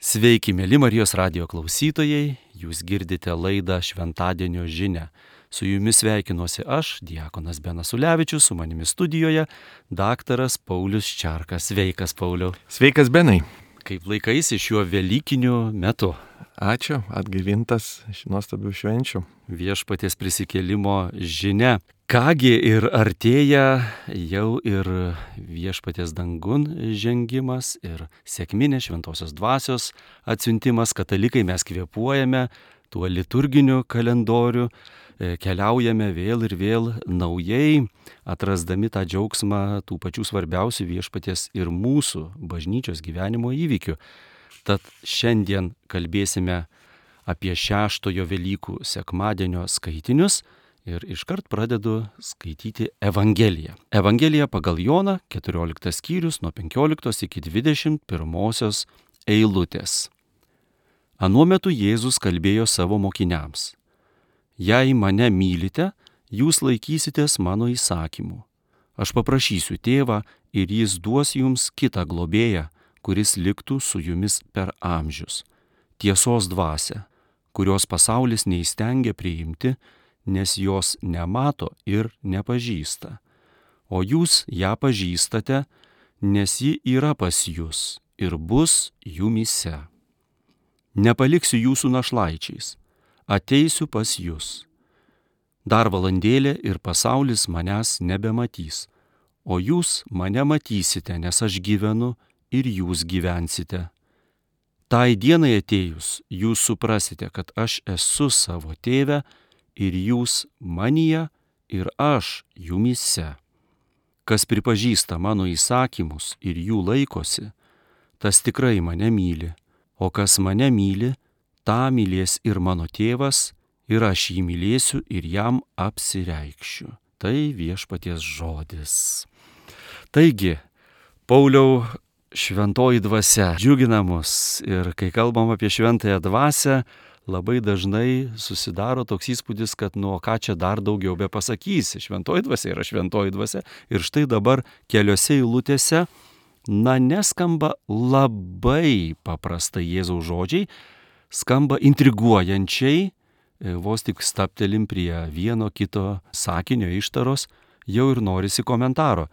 Sveiki, mėly Marijos radijo klausytojai, jūs girdite laidą Šventadienio žinia. Su jumis sveikinuosi aš, diakonas Benas Ulevičius, su manimi studijoje daktaras Paulius Čarkas. Sveikas, Pauliau. Sveikas, Benai. Kaip laikaisi šiuo velykiniu metu? Ačiū, atgaivintas nuostabių švenčių. Viešpaties prisikėlimo žinia. Kągi ir artėja jau ir viešpaties dangun žengimas ir sekminė šventosios dvasios atsiuntimas. Katalikai mes kvėpuojame tuo liturginiu kalendoriu, keliaujame vėl ir vėl naujai, atrasdami tą džiaugsmą tų pačių svarbiausių viešpaties ir mūsų bažnyčios gyvenimo įvykių. Tad šiandien kalbėsime apie šeštojo Velykų sekmadienio skaitinius ir iškart pradedu skaityti Evangeliją. Evangelija pagal Joną, 14 skyrius nuo 15 iki 21 eilutės. Anuo metu Jėzus kalbėjo savo mokiniams: Jei mane mylite, jūs laikysitės mano įsakymų. Aš paprašysiu tėvą ir jis duos jums kitą globėją, kuris liktų su jumis per amžius. Tiesos dvasią, kurios pasaulis neįstengia priimti, nes jos nemato ir nepažįsta. O jūs ją pažįstate, nes ji yra pas jūs ir bus jumyse. Nepaliksiu jūsų našlaičiais, ateisiu pas jūs. Dar valandėlė ir pasaulis manęs nebematys, o jūs mane matysite, nes aš gyvenu ir jūs gyvensite. Tai dienai atėjus, jūs suprasite, kad aš esu savo tėve ir jūs manyje ir aš jumyse. Kas pripažįsta mano įsakymus ir jų laikosi, tas tikrai mane myli, o kas mane myli, tą mylės ir mano tėvas, ir aš jį mylėsiu ir jam apsireikšiu. Tai viešpaties žodis. Taigi, Pauliau, šventoji dvasia džiugina mus ir kai kalbam apie šventąją dvasią, labai dažnai susidaro toks įspūdis, kad ką čia dar daugiau be pasakysi. Šventoji dvasia yra šventoji dvasia. Ir štai dabar keliose eilutėse, neskamba labai paprastai Jėzaus žodžiai, skamba intriguojančiai, vos tik staptelim prie vieno kito sakinio ištaros, jau ir norisi komentaro.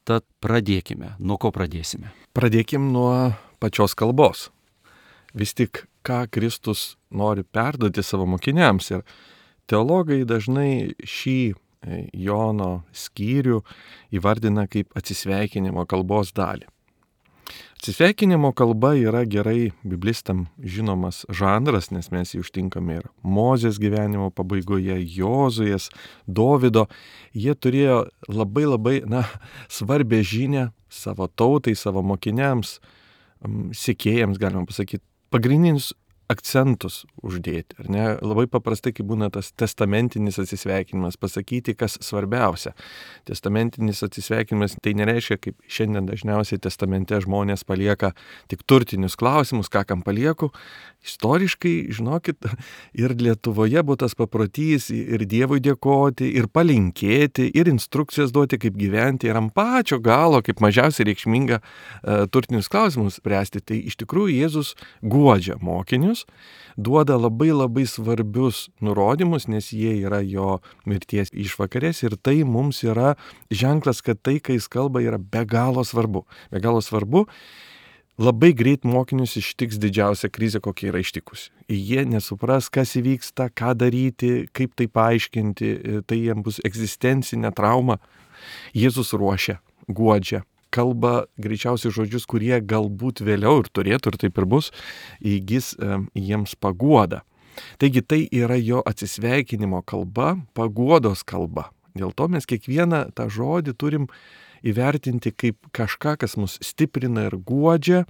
Tad pradėkime. Nuo ko pradėsime? Pradėkim nuo pačios kalbos. Vis tik, ką Kristus nori perduoti savo mokiniams. Ir teologai dažnai šį Jono skyrių įvardina kaip atsisveikinimo kalbos dalį. Atsisveikinimo kalba yra gerai biblistam žinomas žanras, nes mes jį užtinkame ir Mozės gyvenimo pabaigoje, Jozuės, Dovydo. Jie turėjo labai svarbią žinią savo tautai, savo mokiniams, sekėjams, galima pasakyti, pagrindinius akcentus uždėti. Ar ne? Labai paprastai, kai būna tas testamentinis atsisveikinimas, pasakyti, kas svarbiausia. Testamentinis atsisveikinimas tai nereiškia, kaip šiandien dažniausiai testamente žmonės palieka tik turtinius klausimus, ką kam palieku. Istoriškai, žinokit, ir Lietuvoje buvo tas paprotys ir Dievui dėkoti, ir palinkėti, ir instrukcijas duoti, kaip gyventi, ir ant pačio galo, kaip mažiausiai reikšminga turtinius klausimus spręsti. Tai iš tikrųjų Jėzus guodžia mokinius, duoda labai svarbius nurodymus, nes jie yra jo mirties išvakarės ir tai mums yra ženklas, kad tai, kai jis kalba, yra be galo svarbu. Be galo svarbu. Labai greit mokinius ištiks didžiausia krizė, kokia yra ištikusi. Jie nesupras, kas įvyksta, ką daryti, kaip tai paaiškinti, tai jiems bus egzistencinė trauma. Jėzus ruošia, guodžia, kalba greičiausiai žodžius, kurie galbūt vėliau ir turėtų, ir taip ir bus, įgis jiems paguodą. Taigi tai yra jo atsisveikinimo kalba, paguodos kalba. Dėl to mes kiekvieną tą žodį turim įvertinti kaip kažką, kas mus stiprina ir guodžia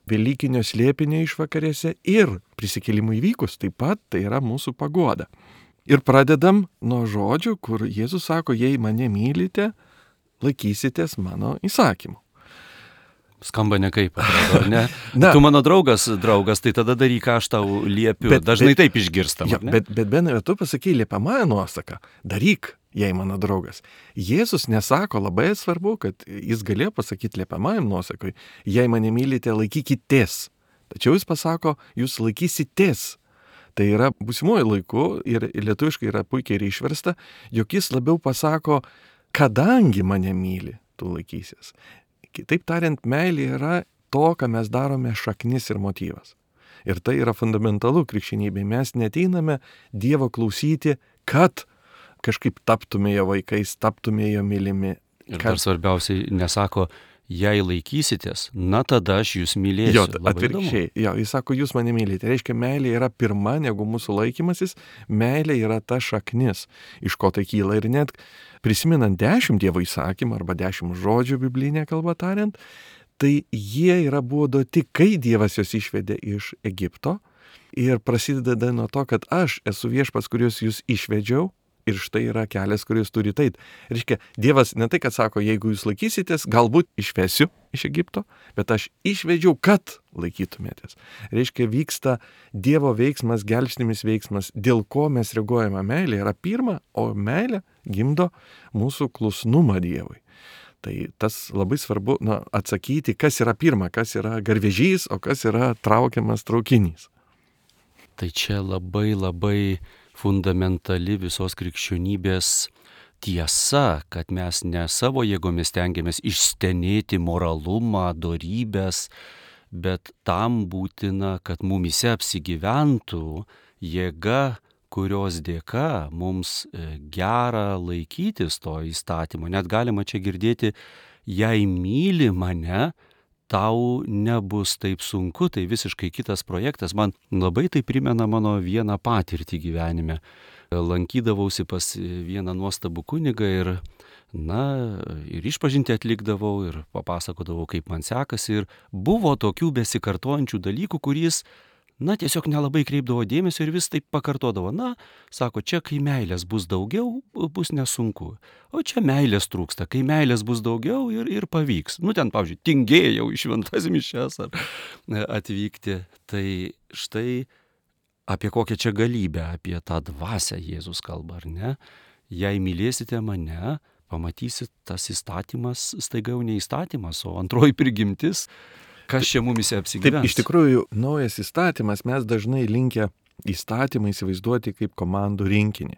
Velykinio slėpinio išvakarėse ir prisikėlimui įvykus. Taip pat tai yra mūsų paguoda. Ir pradedam nuo žodžių, kur Jėzus sako, jei mane mylite, laikysitės mano įsakymų. Skamba nekaip, ar ne? Tu mano draugas, tai tada daryk, ką aš tau liepiu. Dažnai taip išgirstam. Ja, bet Benai, tu pasakei liepiamąją nuosaką. Daryk, jei mano draugas. Jėzus nesako, labai svarbu, kad jis galėjo pasakyti liepiamąjam nuosakui, jei mane mylite, laikykitės. Tačiau jis pasako, jūs laikysitės. Tai yra būsimuoju laiku ir lietuviškai yra puikiai ir išversta, jog jis labiau pasako, kadangi mane myli, tu laikysies. Kitaip tariant, meilė yra to, ką mes darome šaknis ir motyvas. Ir tai yra fundamentalu krikščionybėje. Mes neteiname Dievo klausyti, kad kažkaip taptume jo vaikais, taptume jo mylimi. Ir dar svarbiausiai nesako, jei laikysitės, na tada aš jūs mylėsiu. Jo, atvirkščiai. Jo, jis sako, jūs mane mylite. Tai reiškia, meilė yra pirma negu mūsų laikymasis. Meilė yra ta šaknis, iš ko tai kyla. Ir net prisimenant 10 Dievo įsakymų arba 10 žodžių biblinė kalba tariant, tai jie buvo duoti, kai Dievas juos išvedė iš Egipto. Ir prasideda nuo to, kad aš esu viešpats, kuriuos jūs išvedžiau. Ir štai yra kelias, kuris turi eit. Reiškia, Dievas ne tai, kad sako, jeigu jūs laikysitės, galbūt išvesiu iš Egipto, bet aš išvedžiau, kad laikytumėtės. Reiškia, vyksta Dievo veiksmas, gelbstimis veiksmas, dėl ko mes reaguojame. Meilė yra pirma, o meilė gimdo mūsų klusnumą Dievui. Tai tas labai svarbu atsakyti, kas yra pirma, kas yra garvežys, o kas yra traukiamas traukinys. Tai čia labai fundamentali visos krikščionybės tiesa, kad mes ne savo jėgomis stengiamės išstenėti moralumą, dorybės, bet tam būtina, kad mumise apsigyventų jėga, kurios dėka mums gera laikytis to įstatymo. Net galima čia girdėti, jei myli mane, tau nebus taip sunku, tai visiškai kitas projektas. Man labai tai primena mano vieną patirtį gyvenime. Lankydavausi pas vieną nuostabų kunigą ir išpažintį atlikdavau ir papasakodavau, kaip man sekasi. Ir buvo tokių besikartojančių dalykų, kuris tiesiog nelabai kreipdavo dėmesio ir vis taip pakartodavo. Sako, čia kai meilės bus daugiau, bus nesunku. O čia meilės trūksta, kai meilės bus daugiau ir pavyks. Ten, pavyzdžiui, tingėjau į šventas mišias ar atvykti. Tai štai apie kokią čia galybę, apie tą dvasią Jėzus kalba, ar ne? Jei mylėsite mane, pamatysit, tas įstatymas staiga jau ne įstatymas, o antroji prigimtis. Kas čia mumise apsigyvens? Taip, iš tikrųjų, naujas įstatymas, mes dažnai linkę įstatymą įsivaizduoti kaip komandų rinkinį.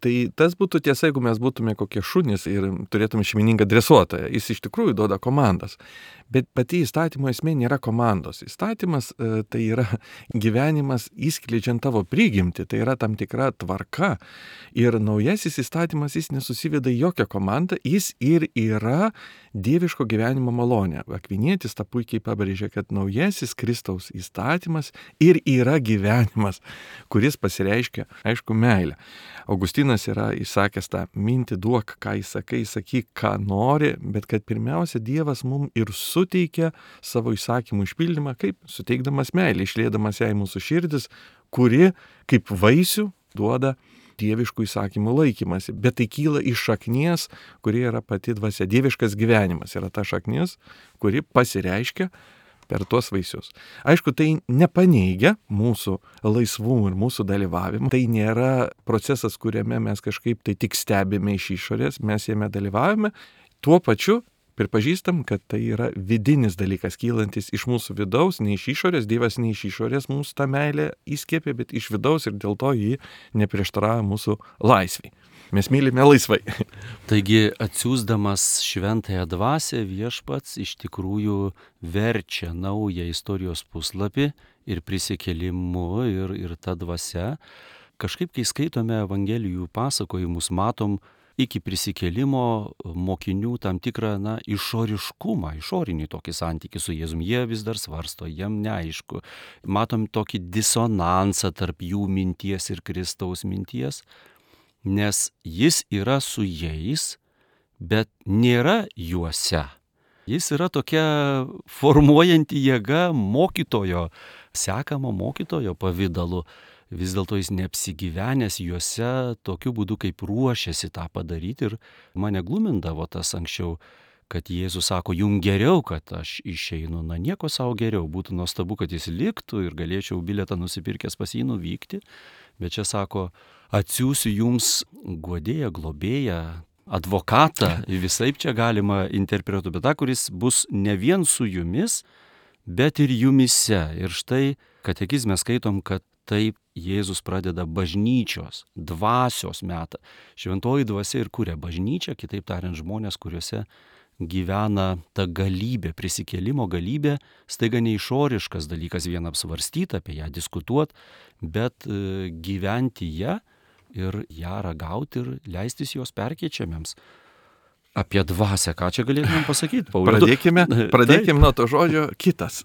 Tai tas būtų tiesa, jeigu mes būtume kokie šunys ir turėtume šeimininką dresuotoją. Jis iš tikrųjų duoda komandas. Bet pati įstatymo esmė nėra komandos. Įstatymas tai yra gyvenimas įskleidžiant tavo prigimtį, tai yra tam tikra tvarka. Ir naujasis įstatymas, jis nesusiveda į jokią komandą, jis ir yra dieviško gyvenimo malonė. Akvinietis tą puikiai pabrėžė, kad naujasis Kristaus įstatymas ir yra gyvenimas, kuris pasireiškia, aišku, meilę. Augustinas yra įsakęs tą mintį, duok, ką įsakai, sakyk, ką nori, bet kad pirmiausia Dievas mums ir suteikia savo įsakymų išpildymą, kaip suteikdamas meilę, išliedamas ją į mūsų širdis, kuri kaip vaisių duoda dieviškų įsakymų laikymasi. Bet tai kyla iš šaknies, kuri yra pati dvasia. Dieviškas gyvenimas yra ta šaknis, kuri pasireiškia per tuos vaisius. Aišku, tai nepaneigia mūsų laisvumų ir mūsų dalyvavimą. Tai nėra procesas, kuriame mes kažkaip tai tik stebime iš išorės, mes jame dalyvavome. Tuo pačiu pripažįstam, kad tai yra vidinis dalykas, kylantis iš mūsų vidaus, ne iš išorės. Dievas ne iš išorės mums tą meilę įskiepė, bet iš vidaus ir dėl to jį neprieštarauja mūsų laisvei. Mes mylime laisvai. Taigi, atsiųsdamas šventąją dvasią, viešpats iš tikrųjų verčia naują istorijos puslapį ir prisikėlimu ir ta dvasia. Kažkaip, kai skaitome Evangelijų pasakojimus, matom iki prisikėlimo mokinių tam tikrą išoriškumą, išorinį tokį santykį su Jėzum. Jie vis dar svarsto, jiem neaišku. Matom tokį disonansą tarp jų minties ir Kristaus minties. Nes jis yra su jais, bet nėra juose. Jis yra tokia formuojanti jėga mokytojo, sekamo mokytojo pavidalu. Vis dėlto jis neapsigyvenęs juose tokiu būdu, kaip ruošiasi tą padaryti. Ir mane glumindavo tas anksčiau, kad Jėzus sako, jums geriau, kad aš išeinu. Nieko savo geriau. Būtų nuostabu, kad jis liktų ir galėčiau bilietą nusipirkęs pas jį nuvykti. Bet čia sako, atsiųsiu jums guodėją, globėją, advokatą, visaip čia galima interpretuoti, bet tą, kuris bus ne vien su jumis, bet ir jumyse. Ir štai katekizme skaitom, kad taip Jėzus pradeda bažnyčios, dvasios metą. Šventoji dvasia ir kuria bažnyčią, kitaip tariant, žmonės, kuriuose gyvena ta galybė, prisikėlimo galybė, staiga ne išoriškas dalykas vien apsvarstyti, apie ją diskutuoti, bet gyventi ją ir ją ragauti ir leistis jos perkeičiamiems. Apie dvasią, ką čia galėtumėm pasakyti, Pauliau? Pradėkime nuo to žodžio kitas.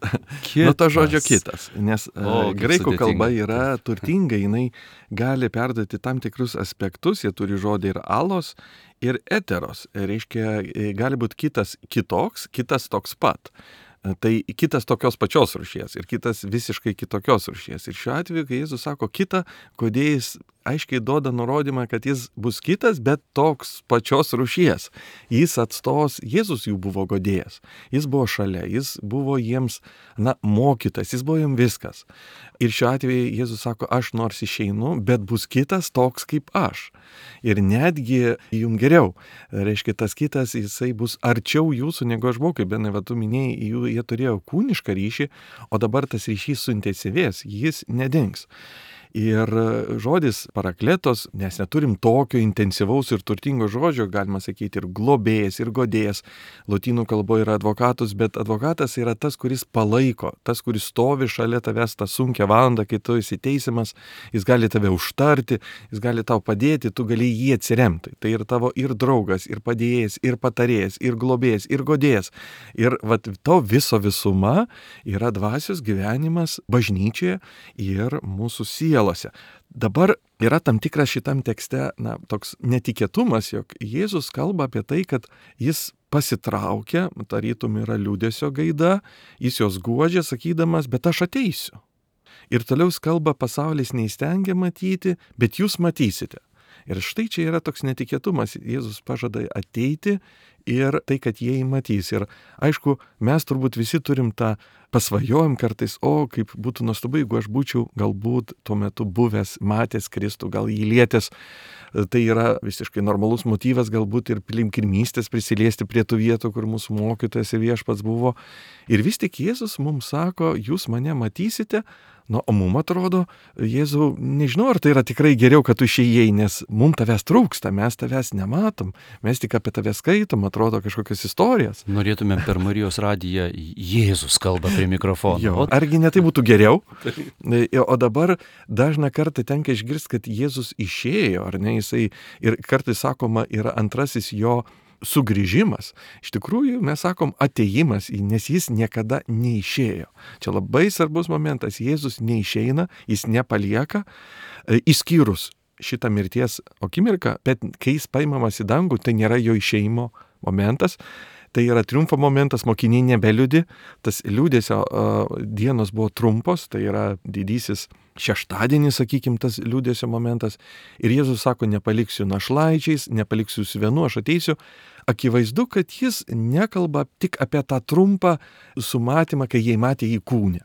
Nuo to žodžio kitas, nes graikų kalba yra turtinga, jinai gali perduoti tam tikrus aspektus, jie turi žodį ir alos, ir eteros. Reiškia, gali būti kitas kitoks, kitas toks pat. Tai kitas tokios pačios rūšies ir kitas visiškai kitokios rūšies. Ir šiuo atveju, kai Jėzus sako kitą, kodėl jis aiškiai duoda nurodymą, kad jis bus kitas, bet toks pačios rūšies. Jis atstos, Jėzus jų buvo godėjas, jis buvo šalia, jis buvo jiems, mokytas, jis buvo jiems viskas. Ir šiuo atveju Jėzus sako, aš nors išeinu, bet bus kitas toks kaip aš. Ir netgi jums geriau. Reiškia, tas kitas, jisai bus arčiau jūsų negu aš buvau, kaip Benai, tu minėjai, jie turėjo kūnišką ryšį, o dabar tas ryšys suintensyvės, jis nedings. Ir žodis parakletos, nes neturim tokio intensyvaus ir turtingo žodžio, galima sakyti, ir globėjas, ir godėjas. Lotynų kalboje yra advokatus, bet advokatas yra tas, kuris palaiko, tas, kuris stovi šalia tavęs tą sunkią valandą, kai tu esi teisiamas, jis gali tave užtarti, jis gali tau padėti, tu gali jį atsiremti. Tai ir tavo ir draugas, ir padėjėjas, ir patarėjas, ir globėjas, ir godėjas. Ir to viso visuma yra dvasios gyvenimas bažnyčioje ir mūsų sielose. Dabar yra tam tikras šitam tekste, toks netikėtumas, jog Jėzus kalba apie tai, kad jis pasitraukia, tarytum yra liūdesio gaida, jis jos guodžia, sakydamas, bet aš ateisiu. Ir toliau jis kalba, pasaulis neįstengia matyti, bet jūs matysite. Ir štai čia yra toks netikėtumas, Jėzus pažada ateiti ir tai, kad jie jį matys. Ir aišku, mes turbūt visi turim tą pasvajojam kartais, kaip būtų nuostabu, jeigu aš būčiau galbūt tuo metu buvęs, matęs Kristų, gal jį lietęs. Tai yra visiškai normalus motyvas galbūt ir piligrimystės prisiliesti prie tų vietų, kur mūsų mokytojas ir viešpats buvo. Ir vis tik Jėzus mums sako, jūs mane matysite. O mum atrodo, Jėzau, nežinau, ar tai yra tikrai geriau, kad tu išėjai, nes mum tavęs trūksta, mes tavęs nematom, mes tik apie tave skaitom, atrodo kažkokias istorijas. Norėtumėm per Marijos radiją Jėzus kalba prie mikrofono. Argi ne tai būtų geriau? O dabar dažną kartą tenka išgirsti, kad Jėzus išėjo, ar ne, jisai, ir kartais sakoma, yra antrasis jo sugrįžimas. Iš tikrųjų, mes sakom atėjimas, nes jis niekada neišėjo. Čia labai svarbus momentas. Jėzus neišeina, jis nepalieka, išskyrus šitą mirties akimirką, bet kai jis paimamas į dangų, tai nėra jo išėjimo momentas. Tai yra triumfo momentas, mokiniai nebeliūdi, tas liūdesio dienos buvo trumpos, tai yra didysis šeštadienis, sakykim, tas liūdesio momentas. Ir Jėzus sako, nepaliksiu našlaičiais, nepaliksiu jūs vienu, aš ateisiu. Akivaizdu, kad jis nekalba tik apie tą trumpą sumatymą, kai jie matė jį kūne.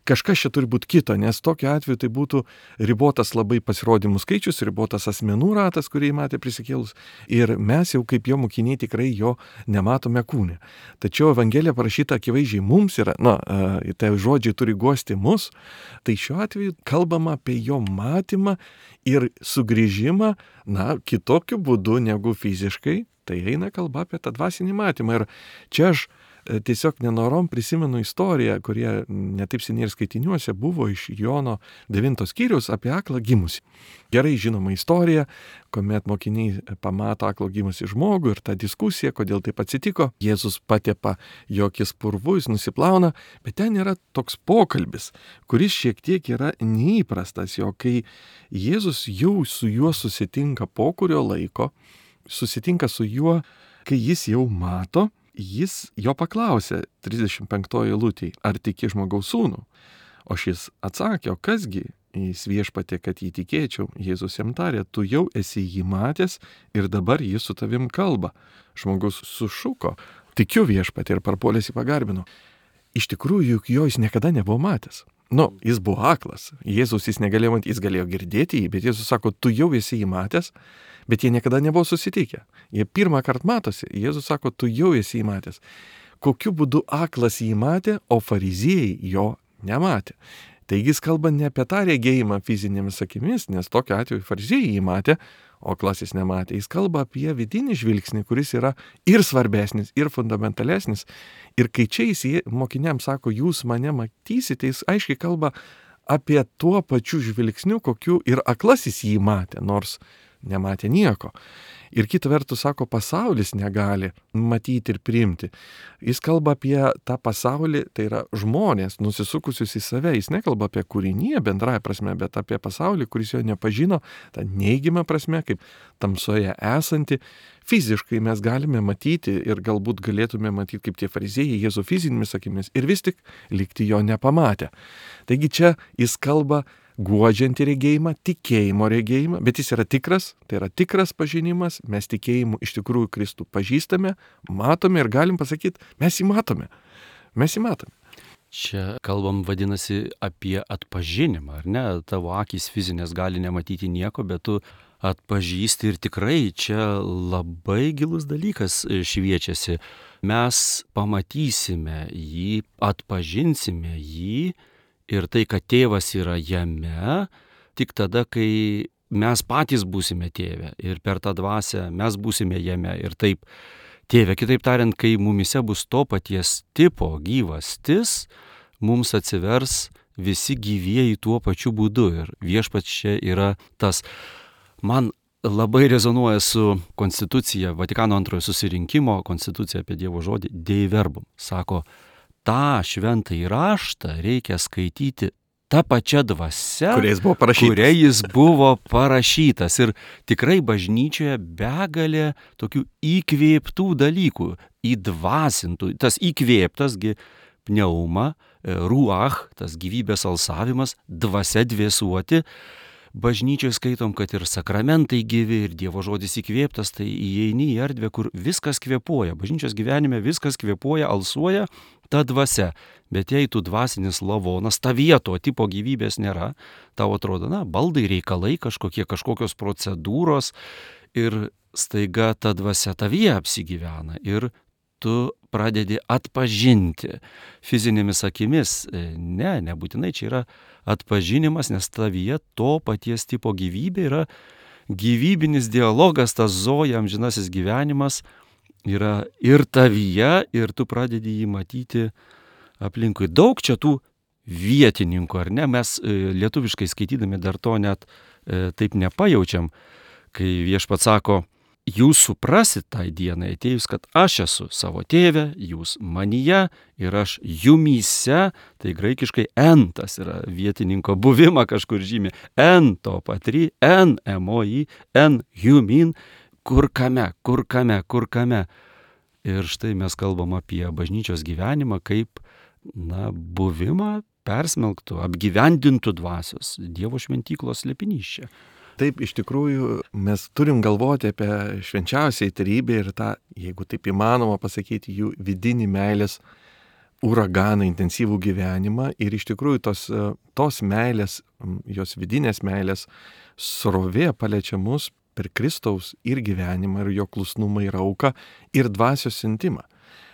Kažkas čia turi būti kito, nes tokiu atveju tai būtų ribotas labai pasirodymų skaičius, ribotas asmenų ratas, kurį matė prisikėlus. Ir mes jau kaip jo mokiniai tikrai jo nematome kūne. Tačiau Evangelija parašyta akivaizdžiai mums yra, tai žodžiai turi guosti mus, tai šiuo atveju kalbama apie jo matymą ir sugrįžimą, kitokiu būdu negu fiziškai. Tai eina kalba apie tą dvasinį matymą. Ir čia aš tiesiog nenorom prisimenu istoriją, kurie netaip seniai ir skaitiniuose buvo iš Jono 9 skyriaus apie aklą gimusį. Gerai žinoma istorija, kuomet mokiniai pamato aklą gimusį žmogų ir tą diskusiją, kodėl taip atsitiko. Jėzus patepa jo akis purvu, jis nusiplauna, bet ten yra toks pokalbis, kuris šiek tiek yra neįprastas, jo kai Jėzus jau su juo susitinka po kurio laiko, susitinka su juo, kai jis jau mato, jis jo paklausė 35 eilutėj, ar tiki žmogaus sūnų? O šis atsakė, o kasgi, jis viešpatė, kad jį tikėčiau. Jėzus jam tarė, tu jau esi jį matęs ir dabar jis su tavim kalba. Žmogus sušuko, tikiu viešpatė, ir parpuolęs jį pagarbino. Iš tikrųjų, juk jo jis niekada nebuvo matęs. Jis buvo aklas. Jėzus jis negalėjo matyti, jis galėjo girdėti jį, bet Jėzus sako, tu jau esi jį matęs, bet jie niekada nebuvo susitikę. Jie pirmą kartą matosi. Jėzus sako, tu jau esi jį matęs. kokiu būdu aklas jį matė, o fariziejai jo nematė. Taigi jis kalba ne apie tą regėjimą fizinėmis akimis, nes tokiu atveju fariziejai jį matė, o aklas nematė. Jis kalba apie vidinį žvilgsnį, kuris yra ir svarbesnis, ir fundamentalesnis. Ir kai čia jis mokiniams sako, jūs mane matysite, jis aiškiai kalba apie tuo pačiu žvilgsniu, kokiu ir aklasis jį matė, nors nematė nieko. Ir kita vertus, sako, pasaulis negali matyti ir priimti. Jis kalba apie tą pasaulį, tai yra žmonės, nusisukusius į save. Jis nekalba apie kūriniją bendrąją prasme, bet apie pasaulį, kuris jo nepažino, tą neigiamą prasme, kaip tamsoje esanti. Fiziškai mes galime matyti ir galbūt galėtume matyti kaip tie fariziejai Jėzų fizinėmis akimis ir vis tik likti jo nepamatę. Taigi čia jis kalba guodžiantį regėjimą, tikėjimo regėjimą, bet jis yra tikras, tai yra tikras pažinimas, mes tikėjimu iš tikrųjų Kristų pažįstame, matome ir galim pasakyti, mes jį matome. Čia kalbam, vadinasi, apie atpažinimą, ar ne? Tavo akys fizinės gali nematyti nieko, bet tu atpažįsti ir tikrai čia labai gilus dalykas šviečiasi. Mes pamatysime jį, atpažinsime jį ir tai, kad tėvas yra jame, tik tada, kai mes patys būsime tėve ir per tą dvasią mes būsime jame ir taip tėve. Kitaip tariant, kai mumise bus to paties tipo gyvastis, mums atsivers visi gyvieji tuo pačiu būdu ir viešpats čia yra tas. Man labai rezonuoja su konstitucija, Vatikano antrojo susirinkimo konstitucija apie Dievo žodį, Dei verbum. Sako, tą šventąjį raštą reikia skaityti tą pačią dvasią, kuria jis buvo parašytas. Ir tikrai bažnyčioje begalė tokių įkvėptų dalykų, įdvasintų. Tas įkvėptasgi pneuma, ruach, tas gyvybės alsavimas, dvasia dvėsuoti. Bažnyčioje skaitom, kad ir sakramentai gyvi, ir Dievo žodis įkvėptas, tai įeini į erdvę, kur viskas kvėpuoja. Bažnyčios gyvenime viskas kvėpuoja, alsuoja ta dvasia. Bet jei tu dvasinis lavonas, tavyje to tipo gyvybės nėra, tau atrodo, baldai, reikalai, kažkokios procedūros ir staiga ta dvasia tavyje apsigyvena ir tu pradedi atpažinti fizinėmis akimis. Nebūtinai čia yra atpažinimas, nes tavyje to paties tipo gyvybė yra gyvybinis dialogas, tas zoja, amžinasis gyvenimas yra ir tavyje, ir tu pradedi jį matyti aplinkui. Daug čia tų vietininkų, ar ne? Mes lietuviškai skaitydami dar to net taip nepajaučiam, kai viešpats sako, jūs suprasit tai dienai atėjus, kad aš esu savo tėve, jūs manyje ir aš jumyse, tai graikiškai entas yra vietininko buvimą kažkur žymė, en to patry, en emoi, en humin, kur kame. Ir štai mes kalbam apie bažnyčios gyvenimą kaip, buvimą persmelktų, apgyvendintų dvasios, Dievo šventyklos slėpinys čia. Taip, iš tikrųjų, mes turim galvoti apie švenčiausiąją trejybę ir tą, jeigu taip įmanoma pasakyti, jų vidinį meilės uraganą, intensyvų gyvenimą. Ir iš tikrųjų tos meilės, jos vidinės meilės srovė paliečia mus per Kristaus ir gyvenimą, ir jo klusnumą, ir auką, ir dvasios siuntimą.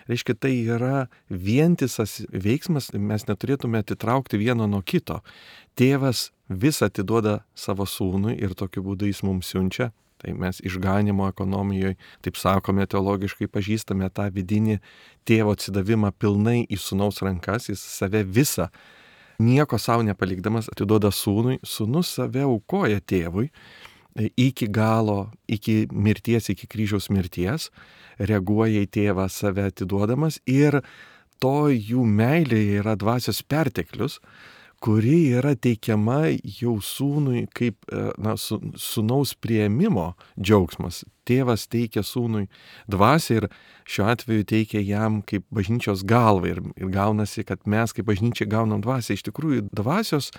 Reiškia, tai yra vientisas veiksmas, mes neturėtume atitraukti vieno nuo kito. Tėvas visą atiduoda savo sūnui ir tokiu būdu jis mums siunčia. Tai mes išganimo ekonomijoje, taip sakome, teologiškai pažįstame tą vidinį tėvo atsidavimą pilnai į sūnaus rankas, jis save visą, nieko savo nepalikdamas, atiduoda sūnui, sūnus save aukoja tėvui iki galo, iki mirties, iki kryžiaus mirties, reaguoja į tėvą save atiduodamas ir to jų meilėje yra dvasios perteklius, kuri yra teikiama jau sūnui kaip sūnaus priėmimo džiaugsmas. Tėvas teikia sūnui dvasią ir šiuo atveju teikia jam kaip bažnyčios galvai ir gaunasi, kad mes kaip bažnyčia gaunam dvasią. Iš tikrųjų, dvasios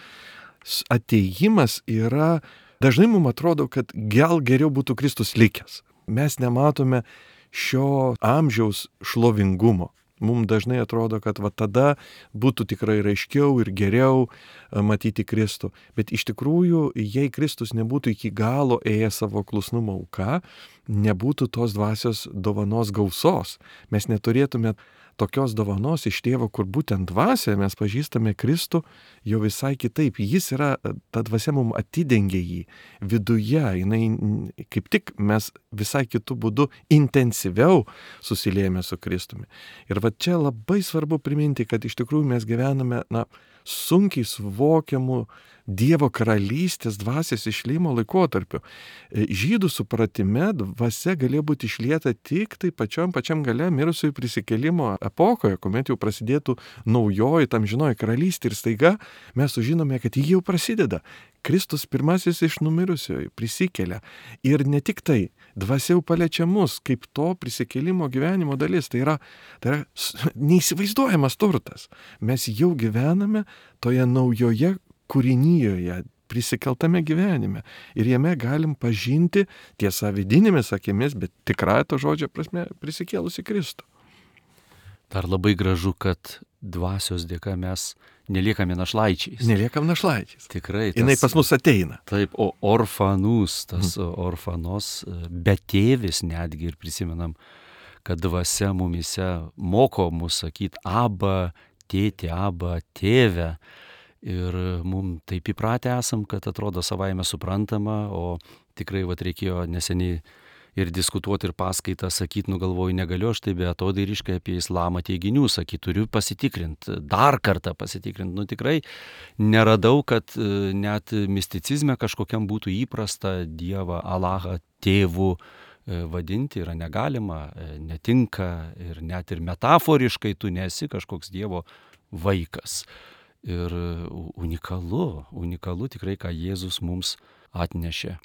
ateigimas yra, dažnai mums atrodo, kad gal geriau būtų Kristus likęs. Mes nematome šio amžiaus šlovingumo. Mums dažnai atrodo, kad tada būtų tikrai raiškiau ir geriau, matyti Kristų. Bet iš tikrųjų, jei Kristus nebūtų iki galo ėjęs savo klusnumo auka, nebūtų tos dvasios dovanos gausos. Mes neturėtume tokios dovanos iš tėvo, kur būtent dvasioje mes pažįstame Kristų jau visai kitaip. Jis yra, ta dvasia mums atidengia jį viduje, jinai kaip tik mes visai kitų būdų intensyviau susiliejame su Kristumi. Ir va čia labai svarbu priminti, kad iš tikrųjų mes gyvename, sunkiai suvokiamų Dievo karalystės dvasios išliejimo laikotarpiu. Žydų supratime dvasia galėjo būti išlieta tik tai pačiam gale mirusiųjų prisikėlimo epochoje, kuomet jau prasidėtų naujoji amžinoji karalystė ir staiga mes sužinome, kad ji jau prasideda. Kristus pirmasis iš numirusiųjų prisikelia. Ir ne tik tai, dvasia jau paliečia mus kaip to prisikėlimo gyvenimo dalis. Tai yra neįsivaizduojamas turtas. Mes jau gyvename toje naujoje kūrinyjoje, prisikeltame gyvenime. Ir jame galim pažinti tiesa vidinėmis akimis, bet tikrąja to žodžio prasme prisikėlusi Kristų. Dar labai gražu, kad dvasios dėka mes neliekame našlaičiais. Neliekam našlaičiais. Tikrai. Jinai pas mus ateina. Taip, o orfanus, tas orfanos, betėvis netgi ir prisimenam, kad dvasia mumise moko mus sakyti aba, tėtė, aba, tėve. Ir mums taip įpratę esam, kad atrodo savaime suprantama, o tikrai reikėjo neseniai ir diskutuoti ir paskaitą sakyti, galvoju, negaliu aš tai beatodairiškai apie islamą teiginių sakyti, turiu pasitikrinti, dar kartą pasitikrinti. Tikrai neradau, kad net misticizme kažkokiam būtų įprasta Dievą, Alahą, tėvų vadinti yra negalima, netinka ir net ir metaforiškai tu nesi kažkoks Dievo vaikas. Ir unikalu tikrai, ką Jėzus mums atnešė.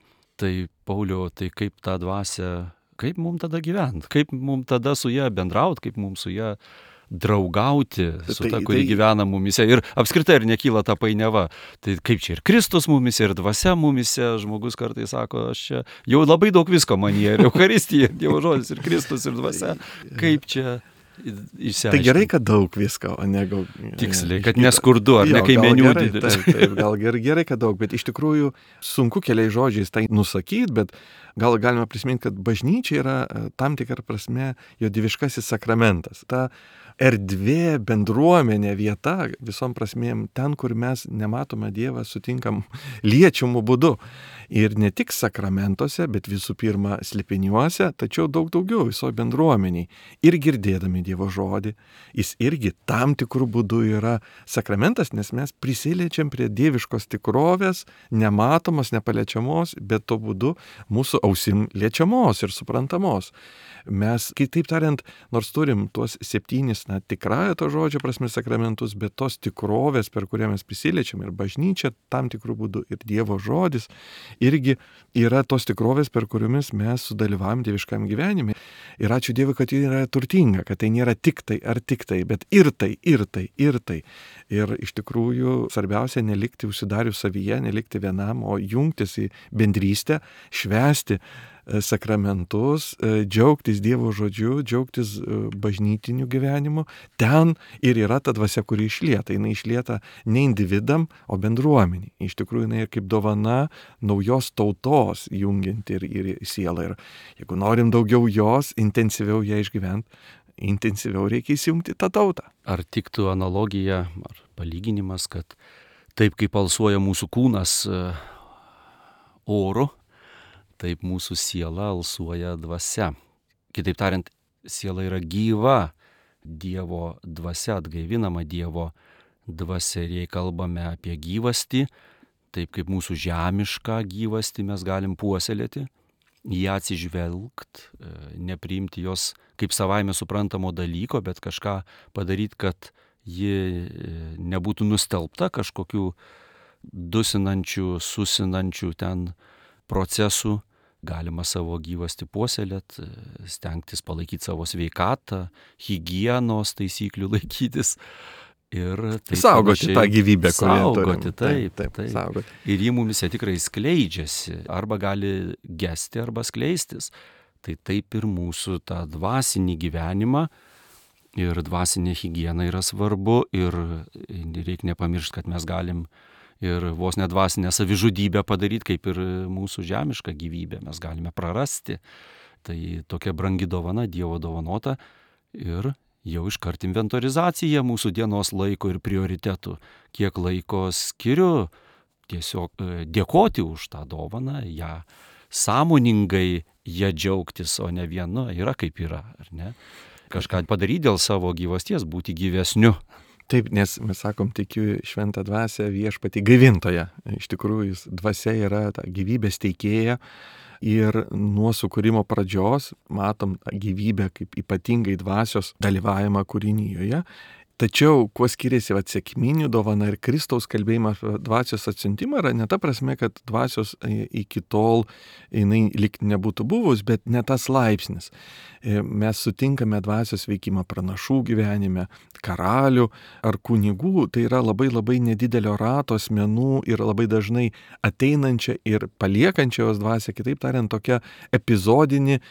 Tai Pauliau, tai kaip tą dvasią, kaip mums tada gyventi, kaip mums tada su ją bendrauti, kaip mums su ją draugauti, su ta, kuri gyvena mumise. Ir apskritai ir nekyla ta painiava. Tai kaip čia ir Kristus mumise, ir dvasia mumise, žmogus kartais sako, aš čia jau labai daug visko manyje, ir Eucharistija, ir Dievo žodis, ir Kristus, ir dvasia. Kaip čia išsiaiškinti? Tai gerai, kad daug visko, o ne gal... Tiksliai, kad neskurdu, ar ne kaimenių didelis. Taip, gal gerai, kad daug, bet iš tikrųjų sunku keliais žodžiais tai nusakyti, bet gal galima prisiminti, kad bažnyčia yra tam tikrą prasme jo dieviškasis sakramentas. Ta erdvė, bendruomenė, vieta visom prasmėm, ten, kur mes nematome Dievą, sutinkam liečiamų būdu. Ir ne tik sakramentuose, bet visų pirma slėpiniuose, tačiau daug daugiau visoje bendruomeniai. Ir girdėdami Dievo žodį, jis irgi tam tikrų būdų yra sakramentas, nes mes prisiliečiam prie dieviškos tikrovės, nematomos, nepaliečiamos, bet to būdu mūsų ausim liečiamos ir suprantamos. Mes, kitaip tariant, nors turim tuos 7, tikrąją to žodžio prasme sakramentus, bet tos tikrovės, per kurią mes prisiliečiam, ir bažnyčia tam tikrų būdų, ir Dievo žodis, irgi yra tos tikrovės, per kuriomis mes sudalyvavom dieviškam gyvenime. Ir ačiū Dievui, kad ji yra turtinga, kad tai nėra tik tai ar tik tai, bet ir tai, ir tai, ir tai. Ir iš tikrųjų svarbiausia nelikti užsidarius savyje, nelikti vienam, o jungtis į bendrystę, švęsti sakramentus, džiaugtis Dievo žodžiu, džiaugtis bažnytiniu gyvenimu. Ten ir yra ta dvasia, kuri išlieta. Jinai išlieta ne individam, o bendruomeniai. Iš tikrųjų, jinai kaip dovana naujos tautos jungianti ir sielą. Ir jeigu norim daugiau jos, intensyviau ją išgyventi, intensyviau reikia įsijungti tą tautą. Ar tiktų analogija, ar palyginimas, kad taip kaip alsuoja mūsų kūnas oru, taip mūsų siela alsuoja dvasia. Kitaip tariant, siela yra gyva, Dievo dvasia, atgaivinama Dievo dvasia. Ir jei kalbame apie gyvastį, taip kaip mūsų žemišką gyvastį mes galim puoselėti, ją atsižvelgt, nepriimti jos kaip savaime suprantamo dalyko, bet kažką padaryti, kad ji nebūtų nustelbta kažkokių dusinančių, susinančių ten procesų. Galima savo gyvastį puoselėt, stengtis palaikyti savo sveikatą, higienos taisyklių laikytis. Ir taip saugoti tą gyvybę, kurią turim. Taip. Saugoti. Ir ji mumise tikrai skleidžiasi, arba gali gesti, arba skleistis. Tai taip ir mūsų tą dvasinį gyvenimą Ir dvasinė higiena yra svarbu ir reikia nepamiršti, kad mes galim ir vos nedvasinę savižudybę padaryti, kaip ir mūsų žemišką gyvybę mes galime prarasti. Tai tokia brangi dovana, Dievo dovanota ir jau iškart inventorizacija mūsų dienos laiko ir prioritetų. Kiek laiko skiriu tiesiog dėkoti už tą dovaną, ją sąmoningai ją džiaugtis, o ne vienu, yra kaip yra, ar ne? Kažką padaryti dėl savo gyvasties, būti gyvesniu. Taip, nes mes sakom, tikiu šventą dvasią viešpatį gaivintoją. Iš tikrųjų, dvasia yra ta gyvybės teikėja ir nuo sukūrimo pradžios matom gyvybę kaip ypatingai dvasios dalyvavimą kūrinyje. Tačiau, kuo skiriasi sekminių dovana ir Kristaus kalbėjimas apie dvasios atsiuntimą, yra ne ta prasme, kad dvasios iki tol jinai lyg nebūtų buvus, bet ne tas laipsnis. Mes sutinkame dvasios veikimą pranašų gyvenime, karalių ar kunigų, tai yra labai labai nedidelio rato asmenų ir labai dažnai ateinančia ir paliekančia jos dvasia, kitaip tariant, tokia epizodinė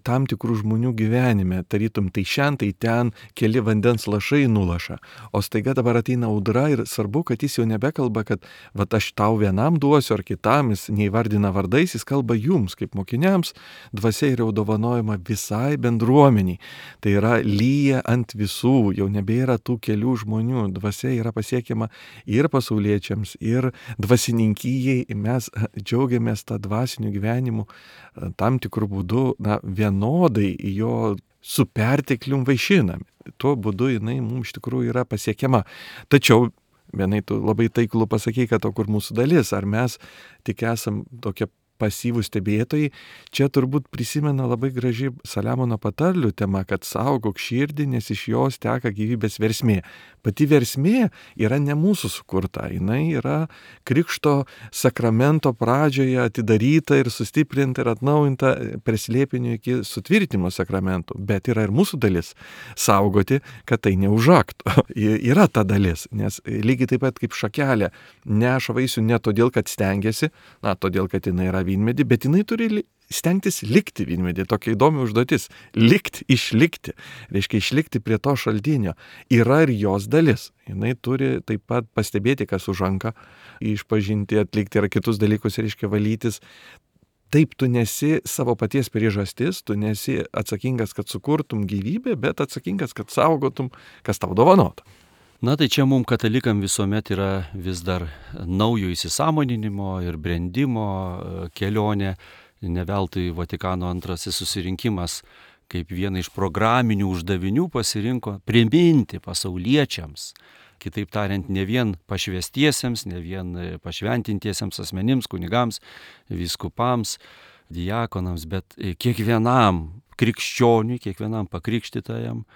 tam tikrų žmonių gyvenime, tarytum tai šiandien, tai ten keli vandens lašai nulaša, o staiga dabar ateina audra ir svarbu, kad jis jau nebekalba, kad vat aš tau vienam duosiu ar kitam, jis neįvardina vardais, jis kalba jums kaip mokiniams, dvasia yra dovanojama visai bendruomeniai. Tai yra lyja ant visų, jau nebėra tų kelių žmonių, dvasia yra pasiekiama ir pasauliečiams, ir dvasininkijai, mes džiaugiamės tą dvasinių gyvenimų tam tikrų būdų, vienodai jo su perteklium vaišinami. Tuo būdu jinai mums iš tikrųjų yra pasiekiama. Tačiau vienai tu labai taiklų pasakei, kad o kur mūsų dalis, ar mes tik esam tokie pasyvūs stebėtojai, čia turbūt prisimena labai graži Saliamono patarlių tema, kad saugok širdį, nes iš jos teka gyvybės versmė. Pati versmė yra ne mūsų sukurta, jinai yra Krikšto sakramento pradžioje atidaryta ir sustiprinta ir atnaujinta per slėpinio iki sutvirtimo sakramentų, bet yra ir mūsų dalis saugoti, kad tai neužaktų. Yra ta dalis, nes lygiai taip pat kaip šakelė neša vaisių ne todėl, kad stengiasi, todėl, kad jinai yra vynmedį, bet jinai turi stengtis likti vynmedį. Tokia įdomi užduotis. Išlikti. Reiškia išlikti prie to šaltinio. Yra ir jos dalis. Jinai turi taip pat pastebėti, kas užanka, išpažinti, atlikti ir kitus dalykus, reiškia valytis. Taip, tu nesi savo paties priežastis, tu nesi atsakingas, kad sukurtum gyvybę, bet atsakingas, kad saugotum, kas tau dovanota. Tai čia mums katalikam visuomet yra vis dar naujo įsisąmoninimo ir brendimo kelionė. Neveltui Vatikano antrasis susirinkimas kaip vieną iš programinių uždavinių pasirinko priminti pasauliečiams, kitaip tariant, ne vien pašvęstiesiems, ne vien pašventintiesiems asmenims, kunigams, vyskupams, diakonams, bet kiekvienam krikščioniui, kiekvienam pakrikštytajam,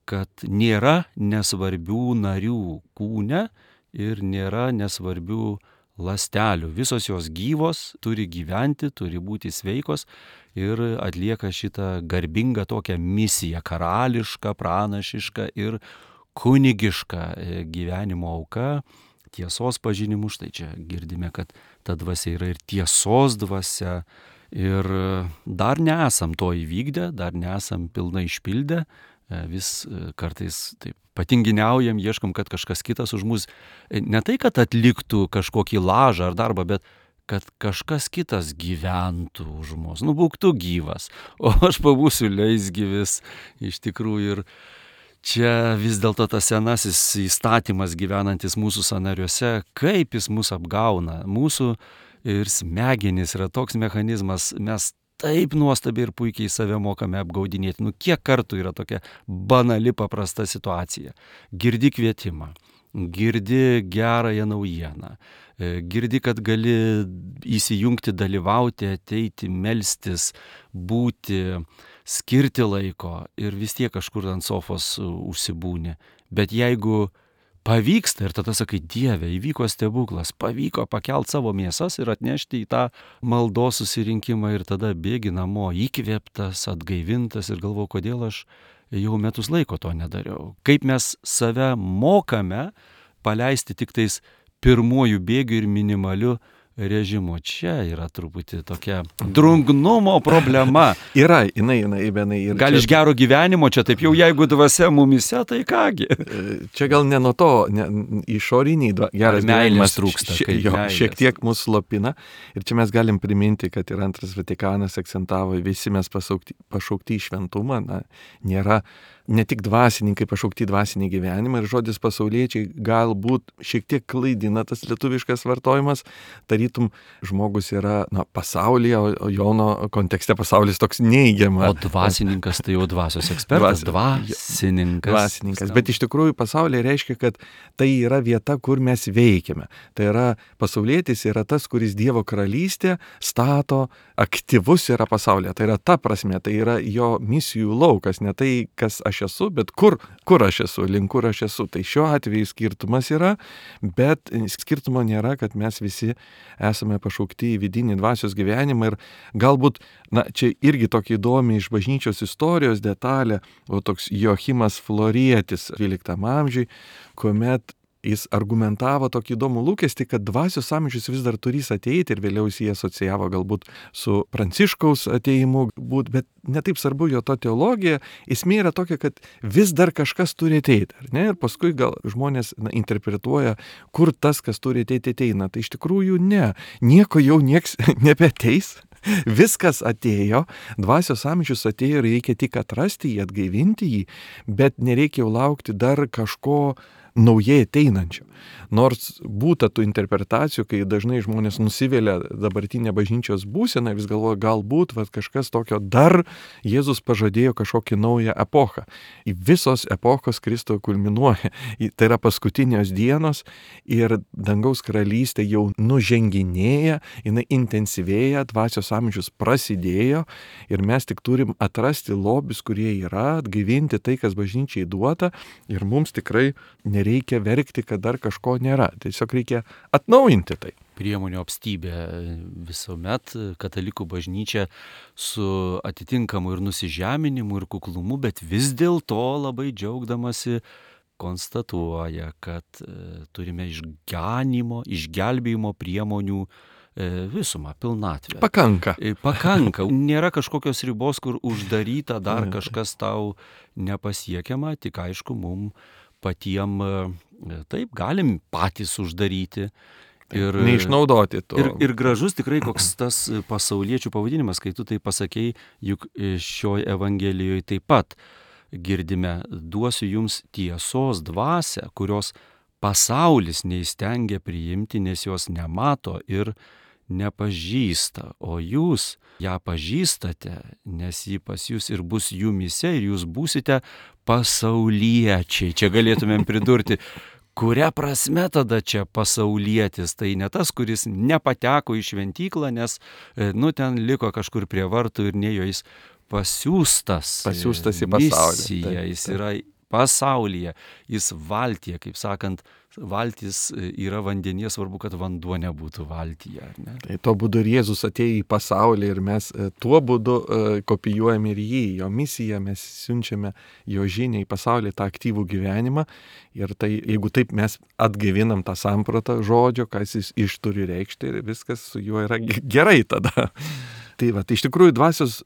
kad nėra nesvarbių narių kūne ir nėra nesvarbių ląstelių. Visos jos gyvos, turi gyventi, turi būti sveikos ir atlieka šitą garbingą tokią misiją, karališką, pranašišką ir kunigišką gyvenimo auką, tiesos pažinimu. Štai čia girdime, kad ta dvasia yra ir tiesos dvasia ir dar nesam to įvykdę, dar nesam pilnai išpildę. Vis kartais taip patinginiaujam, ieškom, kad kažkas kitas už mus, ne tai, kad atliktų kažkokį lažą ar darbą, bet kad kažkas kitas gyventų už mus, būk tu gyvas, o aš pabūsiu leisgyvis iš tikrųjų. Ir čia vis dėlto tas senasis įstatymas gyvenantis mūsų sąnariuose, kaip jis mus apgauna. Mūsų ir smegenys yra toks mechanizmas, mes taip nuostabiai ir puikiai save mokame apgaudinėti. Kiek kartų yra tokia banali, paprasta situacija. Girdi kvietimą, girdi gerąją naujieną, girdi, kad gali įsijungti, dalyvauti, ateiti, melstis, būti, skirti laiko ir vis tiek kažkur ant sofos užsibūni. Bet jeigu pavyksta ir tada sakai, Dieve, įvyko stebuklas, pavyko pakelt savo mėsas ir atnešti į tą maldos susirinkimą ir tada bėgi namo įkvėptas, atgaivintas ir galvoju, kodėl aš jau metus laiko to nedariau. Kaip mes save mokame paleisti tik tais pirmojų bėgių ir minimaliu režimo. Čia yra truputį tokia drungnumo problema. Yra, jinai, Benai. Gal iš gero gyvenimo, čia taip jau jeigu dvasia mumise, tai kągi. Čia gal ne nuo to, išoriniai geras gyvenimas trūksta. Šiek tiek mus slopina. Ir čia mes galim priminti, kad ir Antras Vatikanas akcentavo, visi mes pašaukti į šventumą. Nėra ne tik dvasininkai pašaukti dvasinį gyvenimą, ir žodis pasauliečiai galbūt šiek tiek klaidina tas lietuviškas vartojimas. Tarytum žmogus yra pasaulyje, o Jono kontekste pasaulis toks neigiamas. O dvasininkas tai jau dvasios ekspertas. Dvasininkas. Bet iš tikrųjų pasaulyje reiškia, kad tai yra vieta, kur mes veikiame. Tai yra pasaulietis yra tas, kuris Dievo karalystė stato, aktyvus yra pasaulyje. Tai yra ta prasme, tai yra jo misijų laukas, ne tai, kas aš esu, bet kur aš esu, link kur aš esu. Tai šiuo atveju skirtumas yra, bet skirtumo nėra, kad mes visi esame pašaukti į vidinį dvasios gyvenimą. Ir galbūt, čia irgi tokia įdomi iš bažnyčios istorijos detalė, o toks Joachimas Florietis 12 amžiui, kuomet jis argumentavo tokį įdomų lūkestį, kad dvasios amžius vis dar turės ateiti, ir vėliau jis jį asocijavo galbūt su Pranciškaus ateimu, bet netaip svarbu jo to teologija, esmė yra tokia, kad vis dar kažkas turi ateiti, ar ne? Ir paskui gal žmonės interpretuoja, kur tas, kas turi ateiti, ateina. Tai iš tikrųjų ne, nieko jau nieks nebeateis. Viskas atėjo, dvasios amžius atėjo, reikia tik atrasti jį, atgaivinti jį, bet nereikia jau laukti dar kažko naujai ateinančio. Nors būta tų interpretacijų, kai dažnai žmonės nusivelia dabartinę bažnyčios būseną, vis galvoja, galbūt kažkas tokio dar Jėzus pažadėjo kažkokį naują epochą. Į visos epochos Kristų kulminuoja. Tai yra paskutinios dienos ir dangaus karalystė jau nuženginėja, jinai intensyvėja, dvasios amžius prasidėjo ir mes tik turim atrasti lobius, kurie yra, atgaivinti tai, kas bažnyčiai duota, ir mums tikrai nereikia verkti, kad dar kažko nėra. Tiesiog reikia atnaujinti tai. Priemonių apstybė visuomet katalikų bažnyčia su atitinkamu ir nusižeminimu ir kuklumu, bet vis dėlto labai džiaugdamasi konstatuoja, kad turime išgelbėjimo priemonių visumą, pilnatvę. Pakanka. Nėra kažkokios ribos, kur uždaryta dar kažkas tau nepasiekiama, tik aišku, mum patiem taip galim patys uždaryti. Ir neišnaudoti to. Ir gražus tikrai koks tas pasauliečių pavadinimas, kai tu tai pasakei, juk šioje Evangelijoje taip pat girdime, duosiu jums tiesos dvasią, kurios pasaulis neįstengia priimti, nes jos nemato ir nepažįsta, o jūs ją pažįstate, nes ji pas jūs ir bus jumyse, ir jūs būsite pasauliečiai. Čia galėtumėm pridurti, kuria prasme tada čia pasaulietis? Tai ne tas, kuris nepateko į šventyklą, nes ten liko kažkur prie vartų ir nejo jis pasiųstas į pasaulį. Jis yra pasaulyje, jis valtyje, kaip sakant, valtis yra vandenyje, svarbu, kad vanduo nebūtų valtyje. Ne? Tai tuo būdu ir Jėzus atėjo į pasaulį ir mes tuo būdu kopijuojame ir jį, jo misiją, mes siunčiame jo žinią į pasaulį, tą aktyvų gyvenimą. Ir tai, jeigu taip mes atgaivinam tą sampratą žodžio, kas jis iš turi reikšti, ir viskas su juo yra gerai tada. Tai iš tikrųjų dvasios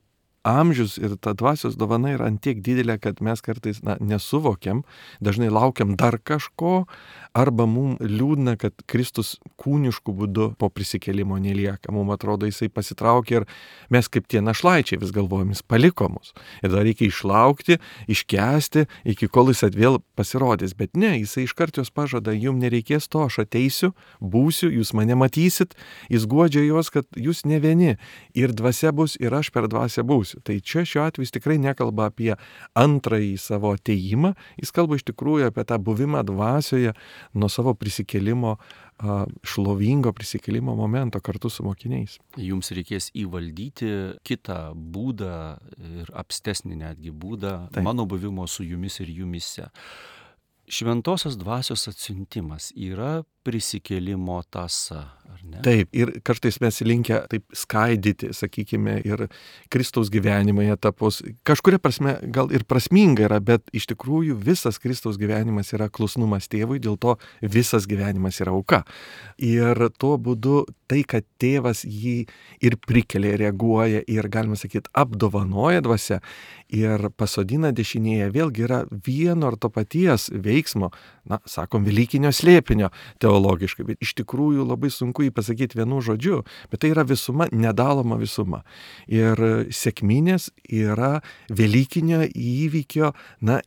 amžius ir ta dvasios dovana yra ant tiek didelė, kad mes kartais nesuvokiam, dažnai laukiam dar kažko, arba mums liūdna, kad Kristus kūniškų būdu po prisikėlimo nelieka. Mums atrodo, jisai pasitraukė ir mes kaip tie našlaičiai vis galvojam, jis paliko mus. Ir dar reikia išlaukti, iškęsti, iki kol jis vėl pasirodys. Bet ne, jisai iškart jos pažada, jums nereikės to, aš ateisiu, būsiu, jūs mane matysit, jis guodžia juos, kad jūs ne vieni. Ir dvasia bus, ir aš per dvasią būsiu. Tai čia šiuo atveju jis tikrai nekalba apie antrąjį savo atėjimą, jis kalba iš tikrųjų apie tą buvimą dvasioje nuo savo prisikėlimo, šlovingo prisikėlimo momento kartu su mokiniais. Jums reikės įvaldyti kitą būdą ir apstesnį netgi būdą mano buvimo su jumis ir jumise. Šventosios dvasios atsiuntimas yra prisikėlimo tąsa, ar ne? Taip, ir kartais mes linkę taip skaidyti, sakykime, ir Kristaus gyvenimą į etapus. Kažkuria prasme gal ir prasminga yra, bet iš tikrųjų visas Kristaus gyvenimas yra klusnumas tėvui, dėl to visas gyvenimas yra auka. Ir tuo būdu tai, kad tėvas jį ir prikelia, reaguoja ir, galima sakyti, apdovanoja dvasia ir pasodina dešinėje, vėlgi yra vieno ar to paties veiksmo, sakom, velykinio slėpinio teologiškai, bet iš tikrųjų labai sunku jį pasakyti vienu žodžiu, bet tai yra visuma, nedaloma visuma. Ir sekminės yra velykinio įvykio,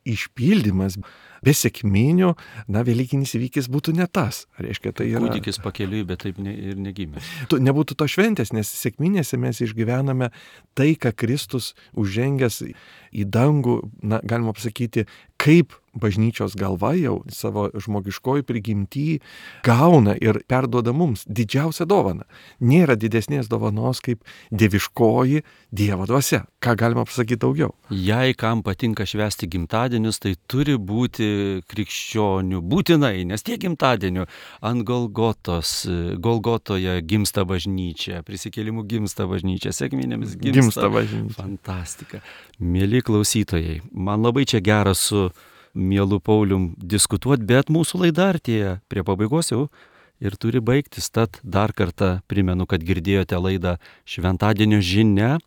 išpildymas. Be sekminių, velykinis įvykis būtų ne tas. Reiškia, tai yra... Kūdikis pakeliui, bet taip ir negimė. Nebūtų to šventės, nes sekminėse mes išgyvename tai, ką Kristus užžengęs į dangų, galima pasakyti, kaip bažnyčios galva jau savo žmogiškoji prigimtį gauna ir perduoda mums didžiausią dovaną. Nėra didesnės dovanos kaip dieviškoji Dievo dvasia. Ką galima pasakyti daugiau? Jei kam patinka švęsti gimtadienius, tai turi būti krikščionių būtinai, nes tiek gimtadienių ant Golgotoje gimsta bažnyčia, prisikėlimų gimsta bažnyčia, sekminėmis gimsta bažnyčia. Fantastika. Mieli klausytojai, man labai čia gera su mielu Paulium diskutuoti, bet mūsų laida artėja prie pabaigos jau ir turi baigtis. Tad dar kartą primenu, kad girdėjote laidą Šventadienio žinia.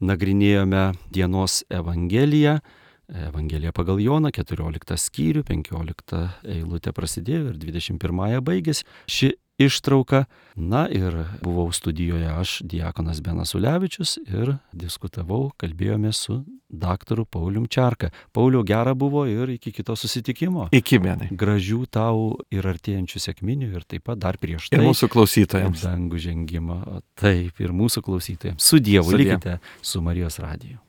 Nagrinėjome dienos Evangeliją pagal Joną, 14 skyrių, 15 eilutė prasidėjo ir 21 baigėsi. Ši ištrauka. Ir buvau studijoje aš, diakonas Benas Ulevičius, ir diskutavau, kalbėjome su daktaru Paulium Čerka. Pauliau, gera buvo ir iki kito susitikimo. Iki, Benai. Gražių tau ir artėjančių sekminių ir taip pat dar prieš tai. Ir mūsų klausytojams. Dangų žengimo. Taip, ir mūsų klausytojams. Su Dievu. Likite su Marijos radiju.